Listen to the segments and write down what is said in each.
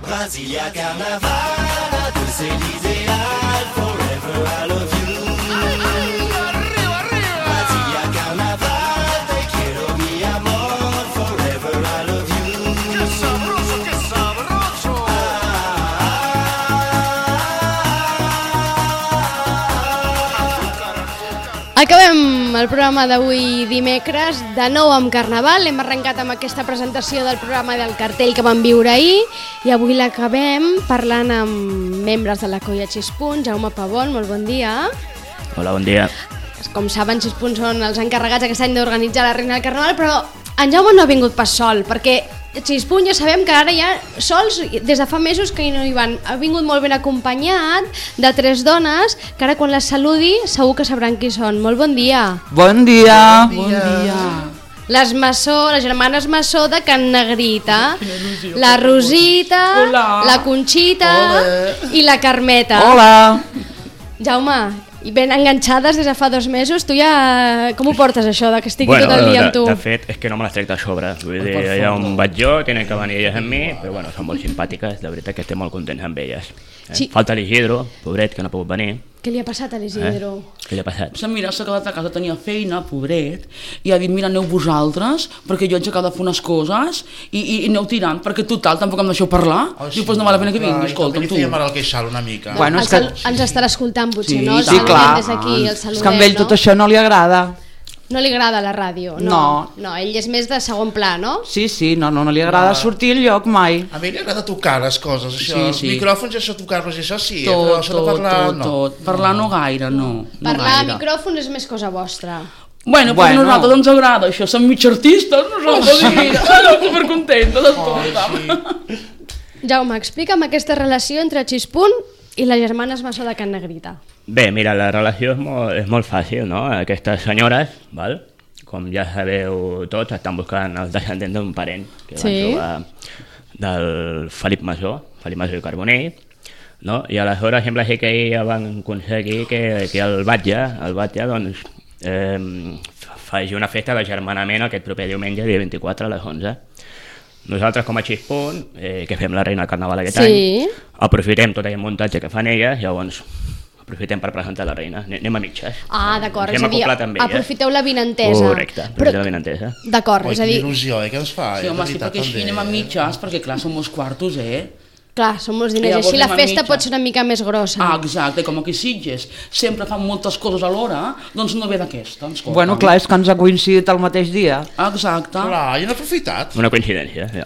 Brasilia Carnaval, a dulce ideal, forever I love you. Brasilia Carnaval, te quiero mi amor, forever I love you. ¡Qué sabroso, qué sabroso! Acabem el programa d'avui dimecres, de nou amb Carnaval. Hem arrencat amb aquesta presentació del programa del cartell que vam viure ahir i avui l'acabem parlant amb membres de la Colla Xispunt. Jaume Pavón, molt bon dia. Hola, bon dia. Com saben, Xispunt són els encarregats aquest any d'organitzar la Reina del Carnaval, però en Jaume no ha vingut pas sol, perquè Xispunt ja sabem que ara ja sols, des de fa mesos que no hi van. Ha vingut molt ben acompanyat de 3 dones, que ara quan les saludi segur que sabran qui són. Molt bon dia. Bon dia. Bon dia. Les Massó, les germanes Massó de Can Negrita, la Rosita, Hola. la Conxita i la Carmeta. Hola. Jaume, i ben enganxades des de fa 2 mesos, tu ja... Com ho portes això, de que estigui tot el dia amb tu? De fet, és que no me les trec de sobre. Vull dir, allà on vaig jo, tenen que venir elles amb mi, però bueno, són molt simpàtiques, de veritat que estem molt contents amb elles. Sí. Falta l'Isidro, pobret, que no ha pogut venir. Què li ha passat a l'Isidro? Què li ha passat? Mira, s'ha quedat a casa, tenia feina, pobret, i ha dit, mira, aneu vosaltres, perquè jo haig de fer unes coses, i aneu tirant, perquè total, tampoc em deixeu parlar. Diu, doncs no val la pena que vingui, escolta'm, tu. I també li feia mal al queixal una mica. Bueno, és que... Ens estarà escoltant potser, Sí, no? sí, clar. Des d'aquí el És saludem, que a ell tot no? això no li agrada. No li agrada la ràdio, no? No. No, ell és més de segon pla, no? Sí, no li agrada sortir al lloc mai. A mi li agrada tocar les coses, això, els Sí. micròfons i això, tocar-los i això sí, però això de parlar no. tot. Parlar no gaire, no. Parlar a gaire. micròfons és més cosa vostra. Bueno, però a nosaltres ens agrada això, som mig artistes, nosaltres, mira, supercontentes, escolta'm. Jaume, explica'm aquesta relació entre Xispunt i les germanes Massó de Can Negrita. Bé, mira, la relació és molt fàcil, no? Aquestes senyores, val? Com ja sabeu tots, estan buscant els descendents d'un parent que van trobar del Felip Massó i Carbonell, no? I aleshores sembla ser que ja van aconseguir que el Batlle doncs, faci una festa d'agermanament aquest proper diumenge, dia 24 a les 11. Nosaltres com a Xispunt, que fem la Reina del Carnaval aquest any, aprofitem tot aquest muntatge que fan elles, llavors aprofitem per presentar la Reina, anem a mitges. Ah, d'acord, és Hem a dir, acoplat amb elles. aprofiteu la vinentesa. Correcte, aprofitem la vinentesa. D'acord, Oi, és a dir, quina il·lusió, que ens fa, Sí, home, de sí, veritat, perquè així també. anem a mitges, perquè clar, som uns quartos, clar, són molts diners, Llavors així la anem a festa mitja. pot ser una mica més grossa. Ah, exacte, com aquí a Sitges sempre fan moltes coses alhora, doncs no ve d'aquesta, escolta. Bueno, clar, és que ens ha coincidit el mateix dia. Exacte. Clar, i han aprofitat. Una coincidència, ja.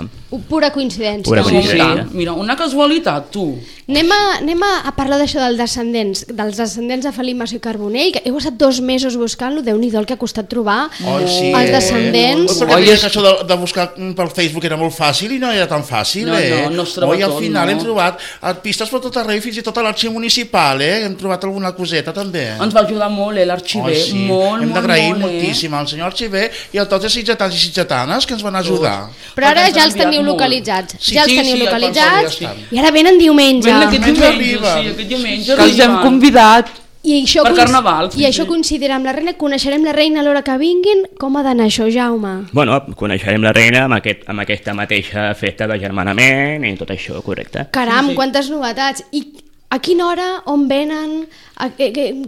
Pura coincidència. Pura no? coincidència. Mira, una casualitat, tu. Anem a parlar d'això dels descendents de Felip Massó i Carbonell, que heu estat 2 mesos buscant-lo, Déu-n'hi-do el que ha costat trobar Oi, sí, els descendents. Perquè deia que això de buscar pel Facebook era molt fàcil i no era tan fàcil, No es troba Oi, al tot, final no. hem trobat pistes per tot arreu, fins i tot a l'arxiu municipal, hem trobat alguna coseta també. Ens va ajudar molt, l'arxiver, Sí. molt, Hem d'agrair molt, moltíssim al senyor arxiver i a tots els sitgetans i sitgetanes que ens van ajudar. Però ara Perquè ens ja han els teniu enviat molt. localitzats. Sí, Ja els sí, teniu sí, localitzats ja estan. i ara venen diumenge. Ven aquest Diumenge diumenge, arriba. sí, aquest diumenge Que els hem arriben. convidat. I això, Per Carnaval, i això coincidirà amb la reina, coneixerem la reina a l'hora que vinguin. Com ha d'anar això, Jaume? Bueno, coneixerem la Reina amb aquesta mateixa festa d'agermanament i tot això, correcte. Caram, quantes novetats. I a quina hora, on venen,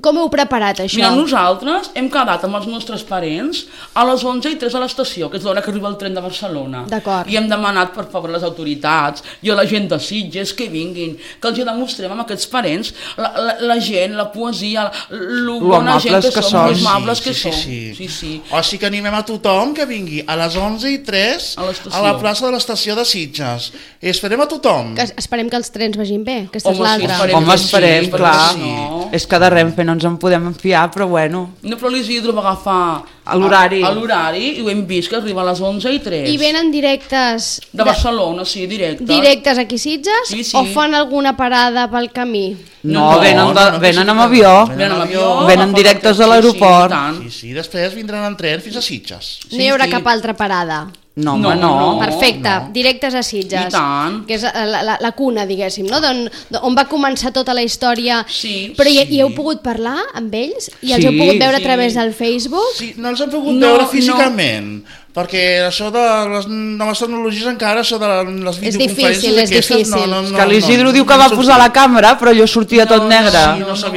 com heu preparat això? Mira, nosaltres hem quedat amb els nostres parents a les 11:03 a l'estació, que és l'hora que arriba el tren de Barcelona. D'acord. I hem demanat, per favor, a les autoritats i a la gent de Sitges que vinguin, que els demostrem amb aquests parents la gent, la poesia, lo bona gent amables que que som, són. lo amables que Sí, som. sí. Sí, sí. O sigui que animem a tothom que vingui a les 11:03 A l'estació. a la plaça de l'estació de Sitges. I esperem a tothom. Esperem que els trens vagin bé, aquesta és Home, sí, l'altra. esperem. Home, que sí, esperem, perquè clar. si no- És que de Renfe no ens en podem fiar, però bueno. No, però l'Isidro va agafar A l'horari. a l'horari i ho hem vist que arriba a les 11:03. I venen directes De Barcelona, sí, directes aquí a Sitges Sí, sí. o fan alguna parada pel camí? No, No, venen amb avió. Venen amb avió, Venen agafen directes el a taxi, l'aeroport. i tant. Sí, sí, després vindran en tren fins a Sitges. No hi haurà sí. cap altra parada. No, No, home, no. no. Perfecte, directes a Sitges. I tant. Que és la cuna, diguéssim, no? On va començar tota la història. Sí, Però sí. hi heu pogut parlar amb ells? I els Sí, heu pogut veure sí. a través del Facebook? Sí, no els hem pogut No, veure físicament, perquè això de les noves tecnologies encara, això de les És videoconferències difícil, és aquestes, difícil. És que l'Isidro diu que va posar la càmera, però allò sortia tot negre.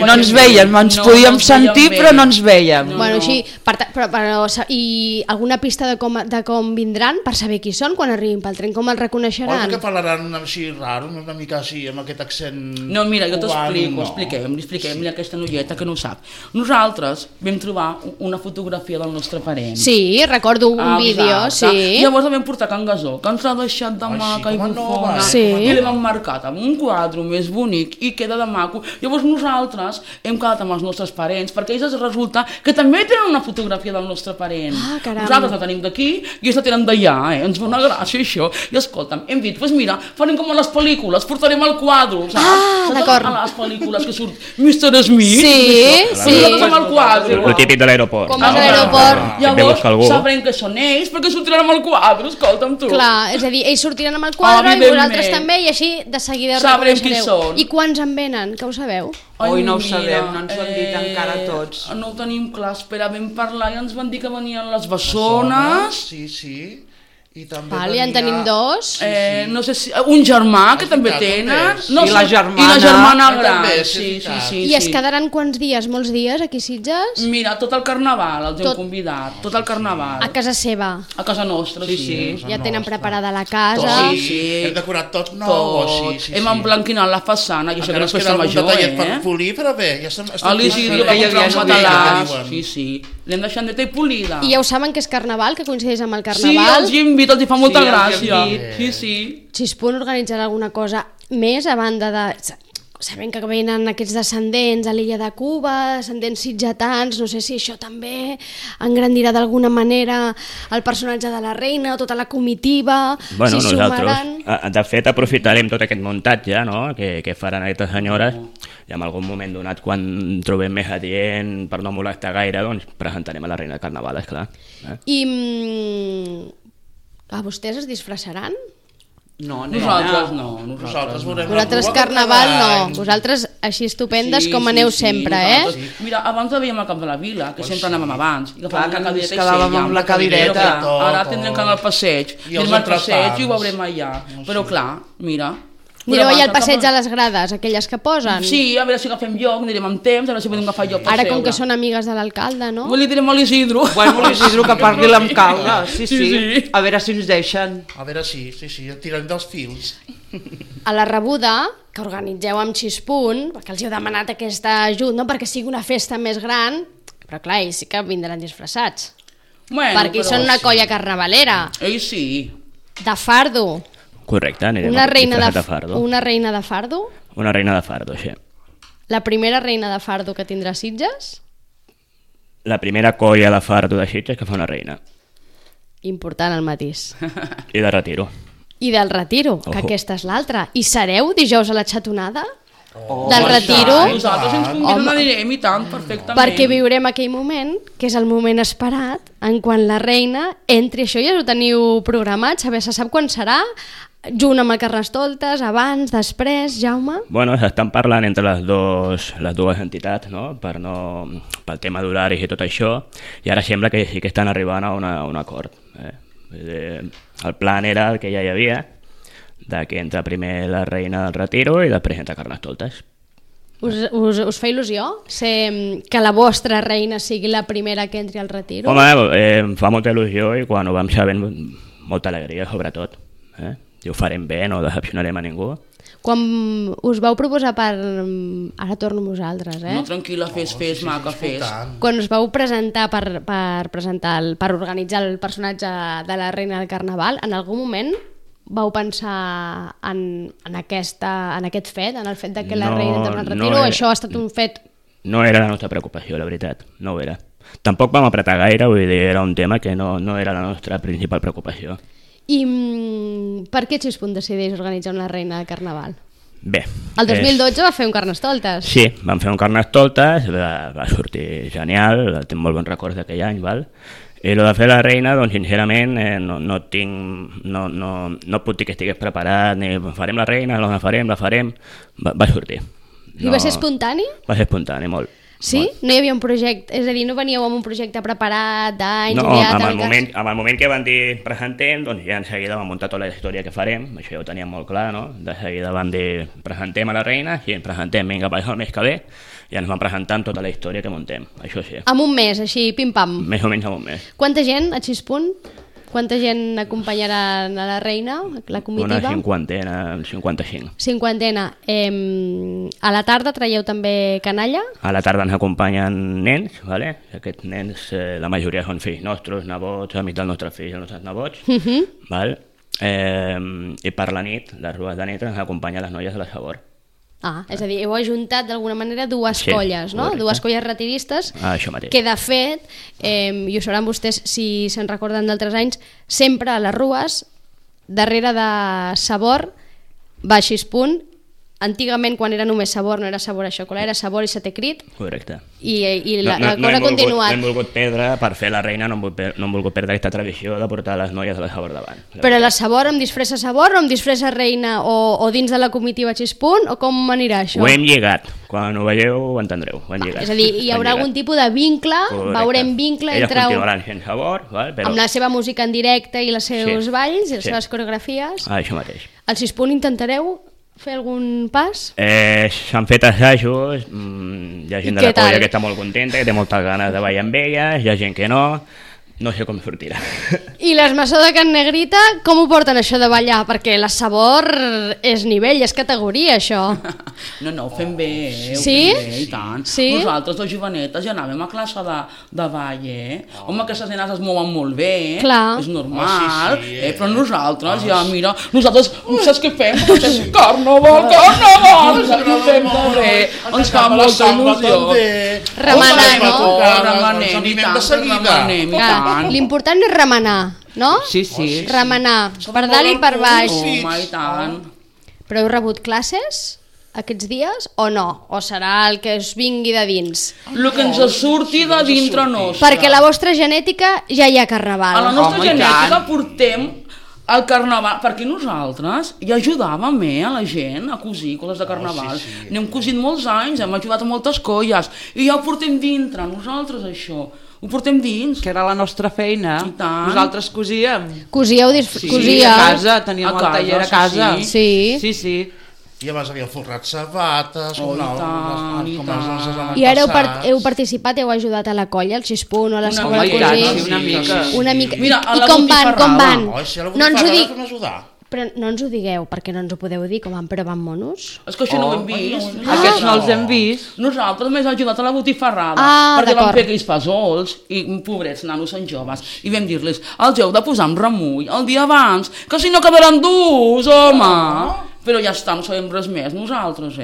No ens veiem, ens podíem sentir, però no ens veiem. Bueno, així, però, i alguna pista de com vindran per saber qui són quan arribin pel tren, com els Oi reconeixeran? que parlaran així raro, una mica així, amb aquest accent... No, mira, jo t'explico, cubano, li expliquem a aquesta noieta que no ho sap. Nosaltres vam trobar una fotografia del nostre parent. Sí, recordo un vídeo, Exacte. sí. Llavors la vam portar a Can Gasó, que ens l'ha deixat de Ai, sí, maca i com a bufona. nova. Sí. I l'hem emmarcat amb un quadre més bonic i queda de maco. Llavors nosaltres hem quedat amb els nostres parents, perquè ells resulta que també tenen una fotografia del nostre parent. Ah, caram. Nosaltres la tenim d'aquí i ells la tenen d'allà, Ens fa una gràcia això. I escolta'm, hem dit, doncs mira, farem com a les pel·lícules, portarem el quadre, saps? Ah, d'acord. A les pel·lícules que surt Mr. Smith. Sí, Doncs sí. nosaltres amb el quadre. Lo típic de l'aeroport. Com és a l'aeroport. Que ve a buscar algú. Llavors sabrem que són ells perquè sortiran amb el quadre, escolta'm tu. Clar, és a dir, ells sortiran amb el quadre i Evidentment. vosaltres també, i així de seguida Sabrem qui reconeixereu. són. I quants en venen, que ho sabeu? Oi, no ho mira, sabem, no ens ho han dit encara tots. No ho tenim clar, espera, vam parlar i ens van dir que venien les bessones. Sí, sí. I també Vale, en tenim dos. No sé si... Un germà, que també veritat, tenen. també. No I la sé, germana. I la germana Ah, gran. també, sí, Sí, sí, veritat. sí. I es sí. quedaran quants dies, molts dies, aquí a Sitges? Mira, tot el carnaval els hem Tot. convidat, tot el carnaval. A casa seva. A casa nostra, sí. Sí. Ja tenen preparada la casa. Sí, sí. Hem decorat tot nou, Tot. sí. Hem emblanquinat la façana, i això que Encara no ens és queda festa algun major, detallet per polir, però bé, ja estem... A l'Isidro va que hi comprar havia un ja matalàs, diuen. sí, sí. L'hem deixat neta i polida. I ja ho saben que és carnaval, que coincideix amb el Sí, carnaval. els hi hem dit, els hi fa molta Sí, els hi hem gràcia. dit. Sí, sí. Xispun organitzarà alguna cosa més a banda de... Sabem que venen aquests descendents a l'illa de Cuba, descendents sitgetans, no sé si això també engrandirà d'alguna manera el personatge de la reina o tota la comitiva, Bueno, si nosaltres, sumaran... de fet, aprofitarem tot aquest muntatge, no?, que faran aquestes senyores, i en algun moment donat, quan trobem més adient per no molestar gaire, doncs presentarem a la reina del carnaval, esclar. I a vostès es disfressaran? No, Nosaltres no, Nosaltres veurem Vosaltres la cua carnaval cada no, any. vosaltres així estupendes com aneu sempre, nosaltres. Mira, abans la veiem al Camp de la Vila, que sempre anàvem abans. I Clar, que agafàvem la ens cadireta i quedàvem sèiem. amb la cadireta. Però ara tindrem que anar al passeig. I els Anem al passeig i ho entrepans. veurem allà. Però clar, mira... Anireu allà al Però passeig abans a les grades, aquelles que posen? Sí, a veure si agafem lloc, anirem amb temps, a veure si podem agafar lloc per Ara com seure. que són amigues de l'alcalde, no? Li direm a l'Isidro. Bueno, l'Isidro que parli l'alcalde, sí, Sí, sí. sí. A veure si ens deixen. A veure, sí, tirem dels fils. A la rebuda, que organitzeu amb Xispun, perquè els heu demanat aquest ajut, no perquè sigui una festa més gran, però clar, ells sí que vindran disfressats, Bueno, perquè però són una sí. colla carnavalera, Ells sí. de fardo. Correcte, anirem Una reina disfressats de, de fardo. una reina de fardo? Una reina de fardo, sí. La primera reina de fardo que tindrà Sitges? La primera colla de fardo de Sitges que fa una reina. Important el matís. I de retiro. I del retiro, que Ojo. aquesta és l'altra. I sereu dijous a la xatonada? Oh, del retiro? Nosaltres ens conviden Home. anirem i tant, perfectament. Perquè viurem aquell moment, que és el moment esperat, en quan la reina entri. Això ja ho teniu programat, se sap quan serà, junt amb el Carnestoltes, abans, després, Jaume? Bueno, s'estan parlant entre les dues entitats, no?, pel tema d'horaris i tot això, i ara sembla que sí que estan arribant a un acord. El plan era el que ja hi havia, de que entra primer la reina del retiro i després entra Carnestoltes. Us fa il·lusió que la vostra reina sigui la primera que entri al retiro? Home, em fa molta il·lusió i quan ho vam saber molta alegria, sobretot. I ho farem bé, no decepcionarem a ningú. Quan us vau proposar Ara torno a vosaltres, No, tranquil·la, fes, maca, fes. Quan us vau presentar per organitzar el personatge de la reina del carnaval, en algun moment vau pensar en aquest fet, en el fet de que la reina entra al retiro, o això ha estat un fet... No era la nostra preocupació, la veritat, no ho era. Tampoc vam apretar gaire, vull dir, era un tema que no era la nostra principal preocupació. I per què Xispun decideix organitzar una reina de carnaval? Bé. El 2012 va fer un Carnestoltes. Sí, vam fer un Carnestoltes, va sortir genial, tinc molt bons records d'aquell any, val? I el de fer la reina, doncs sincerament no puc dir que estigués preparat, ni farem la reina, la farem, va sortir. I va ser espontani? Va ser espontani, molt. Sí? No hi havia un projecte, és a dir, no veníeu amb un projecte preparat d'anys, No, ideat, amb el moment que van dir presentem, doncs ja en seguida vam muntar tota la història que farem, això ja ho teníem molt clar, no? De seguida van dir presentem a la reina, sí, presentem, vinga, per això el mes que ve, i ens van presentar amb tota la història que muntem, això sí. Amb un mes, així, pim-pam. Més o menys amb un mes. Quanta gent a Xispunt? Quanta gent acompanyarà a la reina, la comitiva? Una cinquantena, 55. Cinquantena. A la tarda traieu també canalla? A la tarda ens acompanyen nens, ¿vale? Aquests nens, la majoria són fills nostres, nebots, amics dels nostres fills, els nostres nebots, ¿vale? I per la nit, les rues de nit, ens acompanyen les noies de la Sabor. Ah, és a dir, heu ajuntat d'alguna manera dues Sí, colles, no? correcte. Dues colles retiristes, Això mateix. que de fet, i ho sabran vostès si se'n recorden d'altres anys, sempre a les rues, darrere de Sabor, va a Xispunt. Antigament, quan era només Sabor, no era Sabor a xocolata, era Sabor i Setè Crit, Correcte. i la cosa ha continuat. No hem volgut perdre, per fer la reina, no hem volgut perdre aquesta tradició de portar les noies de la Sabor davant. Però la Sabor amb disfressa Sabor o amb disfressa reina o dins de la comitiva Xispunt, o com anirà això? Ho hem lligat. Quan ho veieu ho entendreu. Ho hem lligat. És a dir, hi haurà algun tipus de vincle, Correcte. veurem vincle Elles entre... continuaran sent Sabor, val? Però... amb la seva música en directe i els seus Sí. balls i les Sí. seves coreografies. Això mateix. Al Xispunt intentareu fer algun pas? S'han fet assajos, hi ha gent I de la què tal? colla que està molt contenta, que té moltes ganes de ballar amb elles, hi ha gent que no sé com sortirà. I les Maçó de Can Negrita, com ho porten això de ballar? Perquè la Sabor és nivell, és categoria, això. No, ho fem bé, ho Sí? fem bé, i tant. Sí? Nosaltres, de jovenetes, ja anàvem a classe de ball, Home, aquestes nenes es mouen molt bé, Clar. és normal, sí, però nosaltres, ja, mira, nosaltres, saps què fem? Fem carnaval, saps què fem també? Ens fa molta il·lusió. Remenar, no? Remenem, i tant, remenem, i tant. L'important és remenar, no? Sí, sí. Remenar, per dalt i per baix. Home, i tant. Però heu rebut classes aquests dies o no? O serà el que us vingui de dins? El que ens surti de dintre nostre. Perquè la vostra genètica ja hi ha A la carnaval. nostra Home, i genètica tant. portem el carnaval, perquè nosaltres ja ajudàvem a la gent a cosir coses de carnaval. N'hem cosit molts anys, hem ajudat a moltes colles i ja ho portem dintre, nosaltres això. Ho portem dins. Que era la nostra feina. I tant. Nosaltres cosíem. Cosíeu, Sí, cosíeu. a casa, teníem A el casa, taller a sí, casa. Sí. Sí, sí. I abans havíem forrat sabates, Oh, i tant, i tant. I ara heu participat, heu ajudat a la colla, al Xispunt o a la Una Sabor a mica, cosir? sí, una mica. Una mica. Mira, a I la com van, com van? botifarrada. Oi, si a la No ens ho botifarrada dic, fem ajudar. però no ens ho digueu, perquè no ens ho podeu dir, com van, però van monos. És que això no ho hem vist. Aquests no els hem vist. Nosaltres més ajudat a la botifarrada, Ah, perquè vam d'acord. fer aquells fesols i pobrets nanos en joves i vam dir-los, els heu de posar amb remull el dia abans, que si no quedaran durs, home. Però ja està, no sabem res més nosaltres,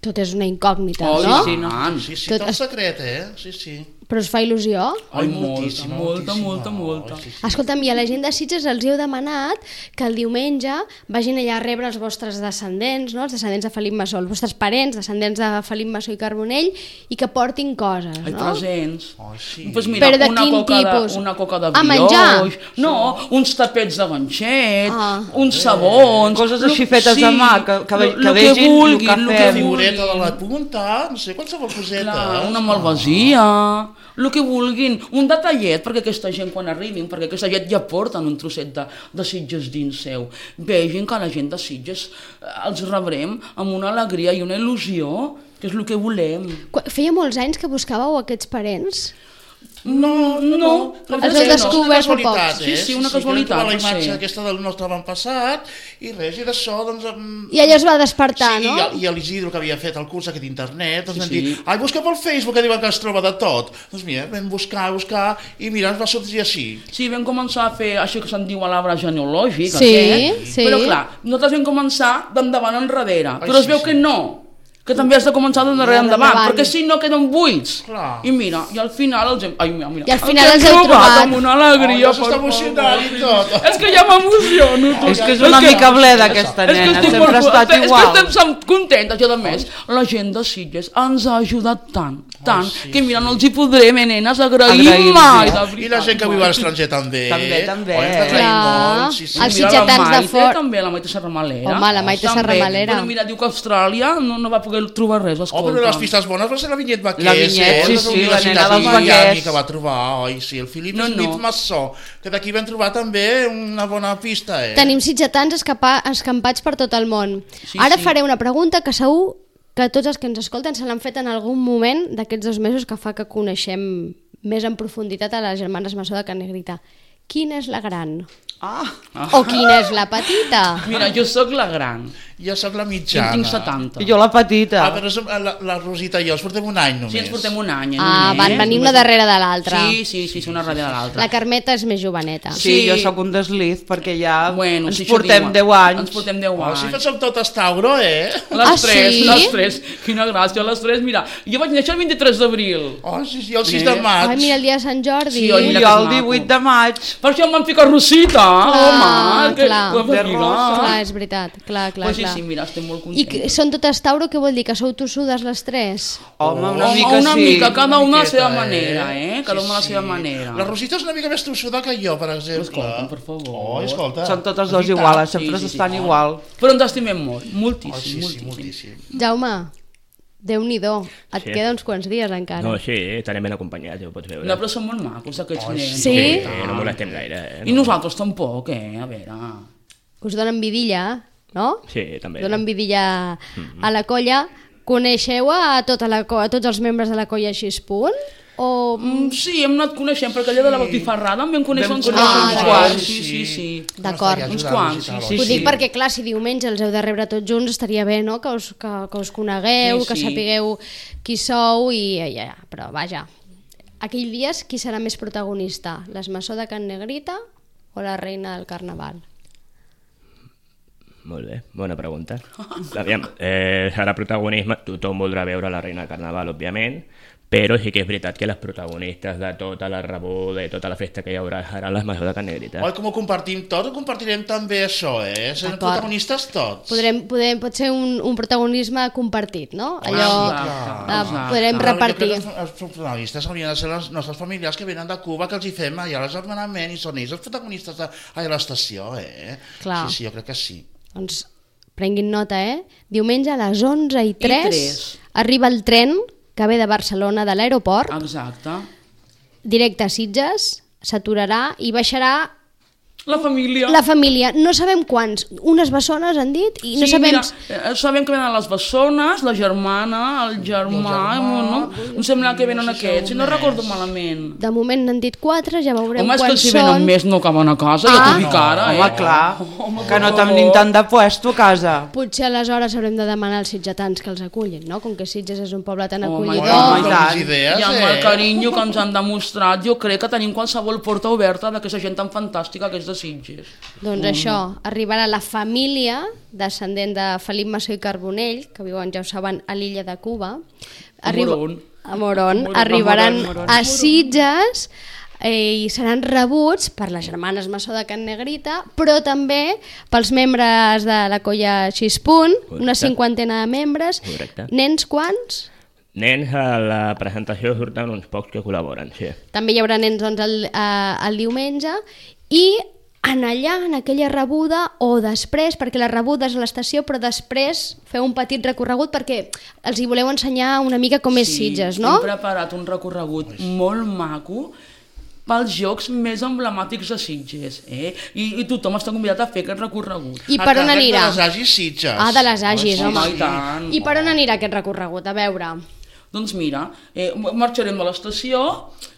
Tot és una incògnita, Oh, no? sí, no. Sí, sí, Tot tot es- secret, sí, sí. Però us fa il·lusió? Ai, moltíssima, molta. Oi, sí, sí. Escolta'm, i a la gent de Sitges els heu demanat que el diumenge vagin allà a rebre els vostres descendents, no? Els descendents de Felip Massó, els vostres parents, descendents de Felip Massó i Carbonell, i que portin coses, Ai, no? presents. Ai, sí. Pues mira, Però de una quin coca tipus? una coca de A menjar? brioix, no, uns tapets de ganxet, Ah. uns sabons... Coses així fetes a mà, que lo vegin el que vulguin, lo que fem. Figureta de vulguin. la punta, no sé, qualsevol coseta. Clar, una malvasia, el que vulguin, un detallet perquè aquesta gent quan arribin, perquè aquesta gent ja porten un trosset de Sitges dins seu, vegin que la gent de Sitges els rebrem amb una alegria i una il·lusió, que és el que volem. Feia molts anys que buscàveu aquests parents? No. Els heu descobert fa poc. Sí, una casualitat, la no sé. imatge aquesta del nostre avantpassat, i res, i d'això, doncs... I allò es va despertar, sí, no? I l'Isidro, que havia fet el curs aquest d'internet, doncs Sí, vam sí. dir, ai, busca pel Facebook, que diuen que es troba de tot. Doncs mira, vam buscar, i mira, ens va sortir així. Sí, vam començar a fer això que se'n diu l'arbre genealògic, Sí, aquest, sí. però clar, nosaltres vam començar d'endavant enrere, Ai, però es sí, veu sí. que no, que també has de començar d'enrere endavant, Endavant. perquè si no queden buits. Clar. I mira, i al final els hem... Ai, mira, I al final hem els heu trobat. amb una alegria. Oh, ja s'està emocionant i tot. És que ja m'emociono. tu. És que és una mica bleda aquesta És que nena, estic sempre ha molt- estat és igual. que estem contentes i a més la gent de Sitges ens ha ajudat tant, que mira, no els hi podrem, nenes, agrair Agraïm, mai. sí. de I veritat, la gent que viu mai. a l'estranger també. També. Oi, ens agraïm Clar. molt, sí, sí. Els Mira, sitgetans la de Maite fora. també, la Maite Serramalera. Home, la Maite També. Serramalera. Bueno, mira, diu que a Austràlia no va poder poder trobar res, escolta. Però les pistes bones va ser la Vinyet Vaquers, La Vinyet, sí, la nena dels Vaquers. que va trobar, oi, sí, el Philip Smith Massó, que d'aquí vam trobar també una bona pista, Tenim sitgetans escampats per tot el món. Sí, Ara sí. faré una pregunta que segur que tots els que ens escolten se l'han fet en algun moment d'aquests 2 mesos que fa que coneixem més en profunditat a les germanes Massó de Can Negrita. Quina és la gran? O quina és la petita? Mira, jo sóc la gran. Jo sóc la Jo mitjana. en tinc 70. I jo la petita. Però la Rosita i jo ens portem un any només. Sí, ens portem un any. Van venir una darrere de l'altra. Sí, una darrere de l'altra. La Carmeta és més joveneta. Sí, jo sóc un desliz perquè ja Bueno, ens sí, això portem diuen. 10 anys. Ens portem 10 Oh, anys. sí, som totes Tauro, Ah, sí? Les tres. Quina gràcia, les tres. Mira, jo vaig néixer el 23 d'abril. Oh, sí, el 6 de maig. Ai, mira, el dia de Sant Jordi. Sí, oi, I mira jo que el maco. 18 de maig. Per això em van ficar Rosita, home. clar. De rosa. Clar, és veritat. Clar, Pues sí, clar. sí, mira, estem molt I contents. són totes Tauro, què vol dir? Que sou tossudes les tres? Home, una Home, mica una sí. mica, cada una a la seva miqueta, manera, Cada una a la seva manera. La Rosita és una mica més tossuda que jo, per exemple. Escolta, per favor. Oh, escolta. Són totes És dues veritat. iguales, sempre Sí, sí, estan sí. igual. Però ens estimem molt, moltíssim, Oh, sí, moltíssim. moltíssim. Jaume, Déu-n'hi-do, et Sí. queda uns quants dies encara. No, sí, estarem ben acompanyats, ja ho pots veure. No, però són molt macos, aquests nens. Sí? No molestem gaire. I nosaltres tampoc, a veure. Us donen vidilla, no? Sí, també. Donen vidilla a la colla. Coneixeu a tots els membres de la colla així punt? O... Sí, hem anat coneixent, perquè allà de la botifarrada em vam conèixer uns conèixer quants. uns Sí. D'acord. Uns quants, sí. Ho dic perquè, clar, si diumenge els heu de rebre tots junts, estaria bé, no?, que us conegueu, Sí, que sí. sapigueu qui sou i ja, però vaja. Aquell dia, qui serà més protagonista? Les Massó de Can Negrita o la reina del Carnaval? Molt bé, bona pregunta. Aviam, serà protagonisme, tothom voldrà veure la reina del Carnaval, òbviament, però sí que és veritat que les protagonistes de tota la rebuda i tota la festa que hi haurà seran les Massó de Can Negrita. Oi, com ho compartim tot, ho compartirem també això, Serem D'acord. protagonistes tots. Pot ser un protagonisme compartit, no? Allò exacte. podrem Però jo repartir. crec que els protagonistes haurien de ser les nostres familiars que venen de Cuba, que els hi fem allà l'agermanament i són ells els protagonistes a l'estació, Clar. Sí, jo crec que sí. Doncs prenguin nota, Diumenge a les 11:03 3. arriba el tren que ve de Barcelona, de l'aeroport, Exacte. directe a Sitges, s'aturarà i baixarà La família. la família. No sabem quants, unes bessones han dit, i no Sí, sabem... mira, sabem que venen les bessones, la germana, el germà, no? Em sembla que venen aquests, si no recordo malament. De moment n'han dit 4, ja veurem Home, és que quants si són. venen més no acaben a casa, ja t'ho dic ara, Home, clar, que no per tenim favor. tant de puesto a casa. Potser aleshores haurem de demanar als sitgetans que els acullin, no? Com que Sitges és un poble tan Home, acollidor. i tant. Idees, I amb el carinyo que ens han demostrat, jo crec que tenim qualsevol porta oberta d'aquesta gent tan fantàstica que és de Sitges. Doncs això, arribarà la família descendent de Felip Massó i Carbonell, que viuen, ja ho saben, a l'illa de Cuba. Moron. A Moron. Arribaran a Sitges i seran rebuts per les germanes Massó de Can Negrita, però també pels membres de la colla Xispunt, una Correcte. cinquantena de membres. Correcte. Nens quants? Nens, a la presentació surten uns pocs que col·laboren, sí. També hi haurà nens doncs, el diumenge i en allà, en aquella rebuda, o després, perquè la rebuda és a l'estació, però després feu un petit recorregut perquè els hi voleu ensenyar una mica com és Sitges, no? Hem preparat un recorregut molt maco pels jocs més emblemàtics de Sitges, I tothom està convidat a fer aquest recorregut. I per on anirà? De les Agis Sitges. Ah, de les Agis, Sí, home. i tant. I per on anirà aquest recorregut? A veure... Doncs mira, marxarem de l'estació,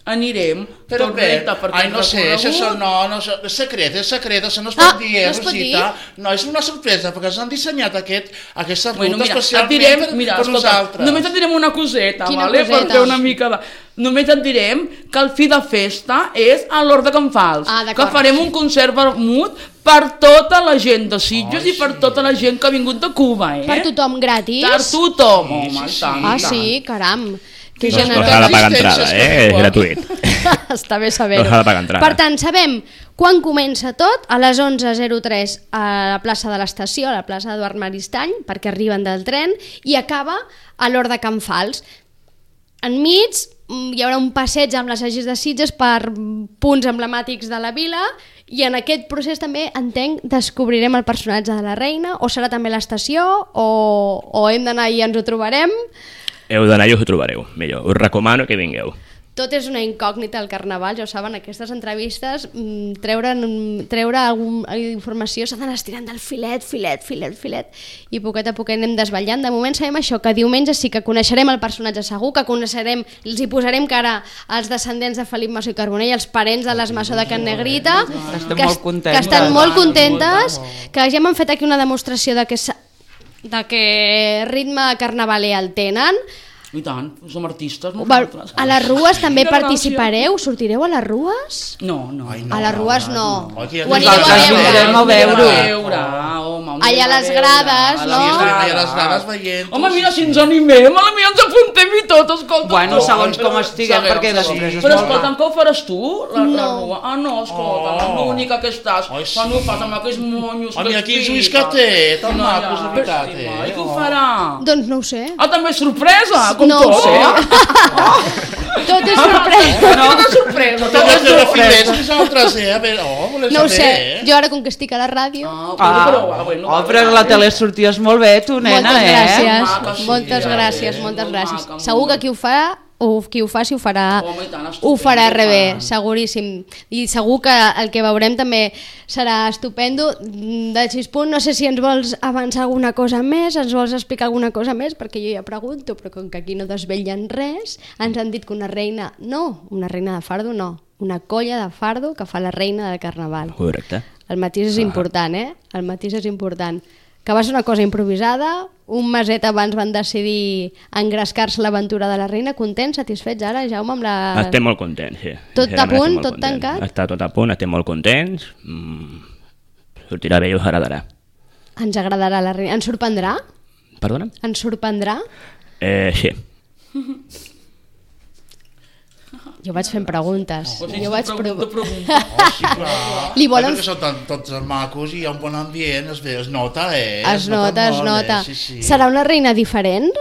anirem Però tot bé, recte per ai, aquest no sé, recorregut. això no, és secret, això no es pot dir, no es pot Rosita. No, és una sorpresa, perquè ens han dissenyat aquesta ruta Bueno, mira, et especialment direm, per escolta, nosaltres. només et direm una coseta, Quina vale? coseta? Per fer una mica de... Només et direm que el fi de festa és a l'Hort de Can Fals, Ah, d'acord. que farem un concert vermut per tota la gent de Sitges i per tota la gent que ha vingut de Cuba, Per tothom gratis? Per tothom, home, sí, i tant, Ah, i tant. sí, caram. Que No s'ha generós. de pagar entrada, Existències és que gratuït. Està bé saber-ho. No s'ha de pagar entrada. Per tant, sabem quan comença tot, a les 11:03 a la plaça de l'estació, a la plaça d'Eduard Maristany, perquè arriben del tren, i acaba a l'Hort de Can Fals. Enmig hi haurà un passeig amb les Agis de Sitges per punts emblemàtics de la vila I en aquest procés també, entenc, descobrirem el personatge de la reina, o serà també l'estació, o hem d'anar i ens ho trobarem. Heu d'anar i us ho trobareu, millor. Us recomano que vingueu. Tot és una incògnita al Carnaval, ja ho saben, aquestes entrevistes, treure alguna informació s'ha d'anar estirant del filet, i poquet a poquet anem desvetllant. De moment sabem això, que diumenge sí que coneixerem el personatge segur, que coneixerem, els hi posarem cara als descendents de Felip Masó i Carbonell, els parents de les Masó de Can Negrita, que estan molt contentes, que ja m'han fet aquí una demostració de que ritme carnavaler el tenen. I tant, som artistes nosaltres. A les rues també participareu? Sortireu a les rues? No. A les rues no. Ho anirem a veure. Allà a les grades, no? Sí, estarem allà a les grades veient. Home, mira, si ens animem, potser ens apuntem i tot, escolta. Bueno, segons com estiguem, perquè després és però escolta'm, que ho faràs tu, la rua? Ah, no, escolta, l'única que estàs, quan ho fas amb aquells monyos... Mira, quins ulls que té, tan macos, de veritat, I què ho farà? Doncs no ho sé. Ah, també és sorpresa, com no tot, Tot és sorpresa. Tot és sorpresa. Tot és sorpresa. Nosaltres, a veure, no ho sé, jo ara com que estic a la ràdio... Però a la tele sorties molt bé, tu, nena, Moltes gràcies. Segur que qui ho faci ho farà rebé, seguríssim. I segur que el que veurem també serà estupendo. De Xispunt, no sé si ens vols avançar alguna cosa més, ens vols explicar alguna cosa més, perquè jo ja pregunto, però com que aquí no desvetllen res, ens han dit que una reina de fardo no, una colla de fardo que fa la reina de Carnaval. Correcte. El matís és important, El matís és important. Que va ser una cosa improvisada, un meset abans van decidir engrescar-se l'aventura de la reina. Contents, satisfets ara, Jaume, amb la... Estem molt contents, sí. Tot a punt, tot tancat? Està tot a punt, estem molt contents. Sortirà bé i us agradarà. Ens agradarà la reina. Ens sorprendrà? Perdona? Ens sorprendrà? Sí. Jo vaig fent preguntes. Jo vaig preguntar. Sí, clar. Perquè són tots macos i hi ha un bon ambient, es nota, Es nota. Serà una reina diferent?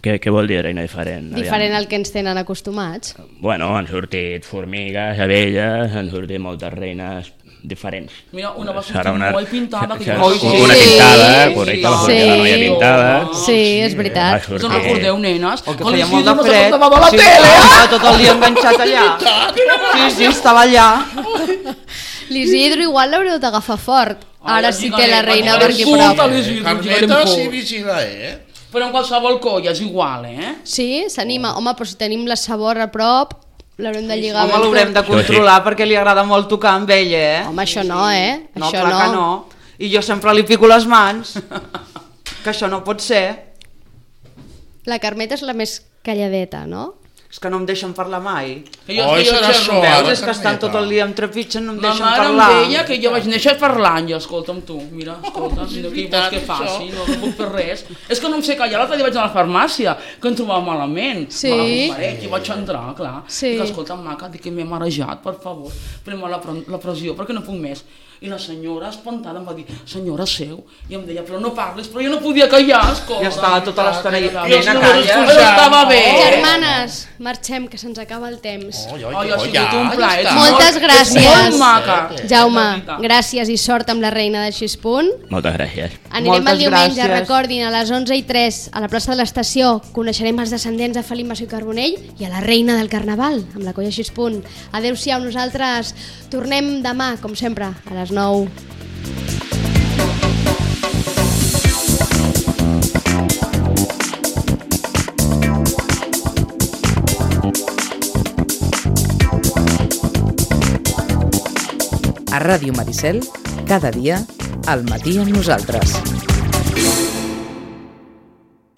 Què vol dir reina diferent? Diferent al que ens tenen acostumats. Bueno, han sortit formigues, abelles, han sortit moltes reines diferents. Mira, una va sortir molt pintada. Una pintada, correcte, la noia pintada. Sí, és veritat. Us en recordeu, nenes? O que feia molt de fred. Estava tot el dia enganxat allà. Sí, estava allà. L'Isidro igual l'haureu d'agafar fort. Ara sí té la reina per aquí prop. Carmeta sí vigila, Però en qualsevol colla és igual, Sí, s'anima. Home, però si tenim la Sabor a prop, l'haurem de lligar. Home, l'haurem de controlar perquè li agrada molt tocar amb ella, Home, això no, No, clar que no. I jo sempre li pico les mans. Que això no pot ser. La Carmeta és la més calladeta, no? És que no em deixen parlar mai. Serà això. És que estan tot el dia em trepitgen, no em deixen parlar. Ma mare em deia que jo vaig néixer parlant, ja, escolta'm tu, mira, escolta, què vols que faci, no puc fer res. És que no em sé callar, l'altre dia vaig a la farmàcia, que em trobava malament. Sí. I vaig entrar, clar. Sí. Dic, escolta'm, maca, dic que m'he marejat, per favor, pren-me la pressió, perquè no puc més. I la senyora, espantada, em va dir, senyora, seu. I em deia, però no parles, però jo no podia callar, escolta. Ja estava tota l'estona i nena, calla. Però estava bé. Germanes, marxem, que se'ns acaba el temps. Ha sigut un plaer. Moltes gràcies. Molt maca. Jaume, gràcies i sort amb la reina de Xispunt. Moltes gràcies. Anirem el diumenge, recordin, a les 11:03 a la plaça de l'Estació. Coneixerem els descendents de Felip Masó i Carbonell i a la reina del Carnaval, amb la colla Xispunt. Adéu-siau, nosaltres tornem demà, com sempre, a les 9. A Ràdio Maricel, cada dia, al matí amb nosaltres.